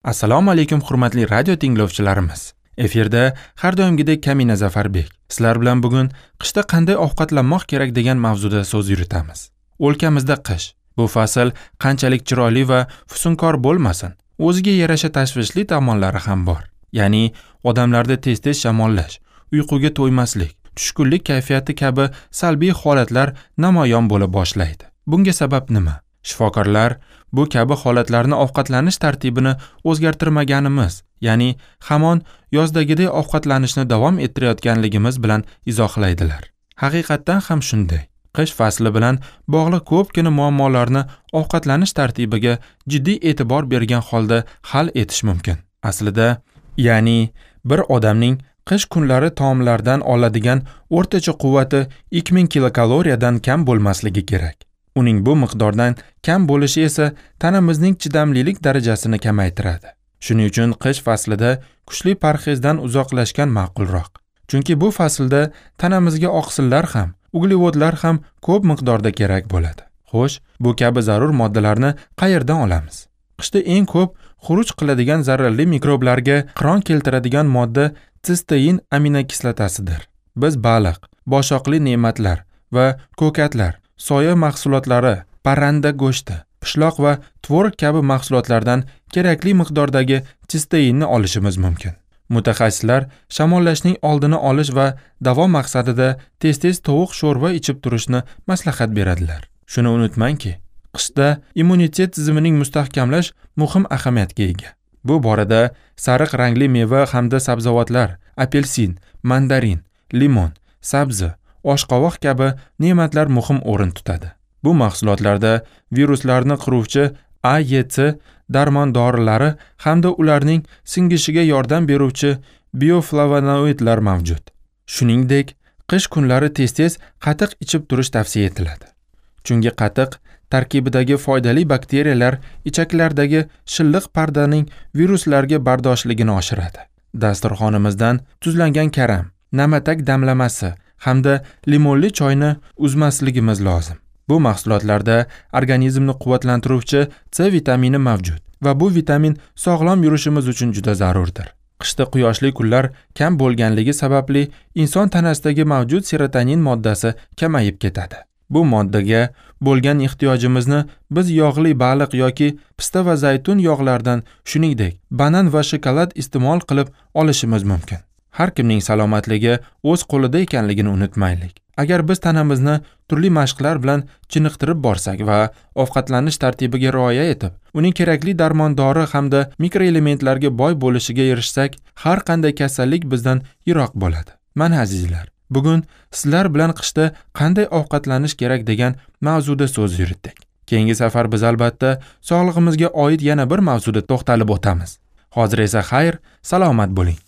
Assalomu alaykum hurmatli radio tinglovchilarimiz. Efirda har doimgidek Kamina Zafarbek. Sizlar bilan bugun qishda qanday ovqatlanmoq kerak degan mavzuda so'z yuritamiz. O'lkamizda qish. Bu fasl qanchalik chiroyli va fusunkor bo'lmasin, o'ziga yarasha tashvishli tomonlari ham bor. Ya'ni odamlarda tez-tez shamollash, uyquga to'ymaslik, tushkunlik kayfiyati kabi salbiy holatlar namoyon bo'la boshlaydi. Bunga sabab nima? Shifokorlar bu kabi holatlarni ovqatlanish tartibini o'zgartirmaganimiz, ya'ni hamon yozdagidek ovqatlanishni davom ettirayotganligimiz bilan izohlaydilar. Haqiqatdan ham shunday. Qish fasli bilan bog'liq ko'pgina muammolarni ovqatlanish tartibiga jiddiy e'tibor bergan holda hal etish mumkin. Aslida, ya'ni bir odamning qish kunlari taomlardan oladigan o'rtacha quvvati 2000 kilokaloriyadan kam bo'lmasligi kerak. Uning bu miqdordan kam bo'lishi esa tanamizning chidamlilik darajasini kamaytiradi. Shuning uchun qish faslida kuchli parhezdan uzoqlashgan ma'qulroq. Chunki bu faslda tanamizga oqsillar ham, uglevodlar ham ko'p miqdorda kerak bo'ladi. Xo'sh, bu kabi zarur moddalarni qayerdan olamiz? Qishda eng ko'p xuruj qiladigan zararli mikroblarga qiron keltiradigan modda sistein aminokislotasidir. Biz baliq, boshoqli ne'matlar va ko'katlar, soya mahsulotlari, parranda go'shti, pishloq va tvorog kabi mahsulotlardan kerakli miqdordagi sisteinni olishimiz mumkin. Mutaxassislar shamollashning oldini olish va davo maqsadida tez-tez tovuq sho'rva ichib turishni maslahat beradilar. Shuni unutmangki, qishda immunitet tizimining mustahkamlash muhim ahamiyatga ega. Bu borada sariq rangli meva hamda sabzavotlar, apelsin, mandarin, limon, sabzi, oshqovoq kabi ne'matlar muhim o'rin tutadi. Bu mahsulotlarda viruslarni qiruvchi A, E, C darmon dorilari hamda ularning singishiga yordam beruvchi bioflavonoidlar mavjud. Shuningdek, qish kunlari tez-tez qatiq ichib turish tavsiya etiladi. Chunki qatiq tarkibidagi foydali bakteriyalar ichaklardagi shilliq pardaning viruslarga bardoshligini oshiradi. Dasturxonimizdan tuzlangan karam, namatak damlamasi hamda limonli choyni uzmasligimiz lozim. Bu mahsulotlarda organizmni quvvatlantiruvchi C vitamini mavjud va bu vitamin sog'lom yurishimiz uchun juda zarurdir. Qishda quyoshli kunlar kam bo'lganligi sababli inson tanasidagi mavjud serotonin moddasi kamayib ketadi. Bu moddaga bo'lgan ehtiyojimizni biz yog'li baliq yoki pista va zaytun yog'laridan, shuningdek, banan va shokolad iste'mol qilib olishimiz mumkin. Har kimning salomatligi o'z qo'lida ekanligini unutmaylik. Agar biz tanamizni turli mashqlar bilan chiniqtirib borsak va ovqatlanish tartibiga rioya etib, uning kerakli darmon dori hamda mikroelementlarga boy bo'lishiga erishsak, har qanday kasallik bizdan yiroq bo'ladi. Mana azizlar, bugun sizlar bilan qishda qanday ovqatlanish kerak degan mavzuda so'z yuritdik. Keyingi safar biz albatta sog'lig'imizga oid yana bir mavzuda to'xtalib o'tamiz. Hozir esa xayr, salomat bo'ling.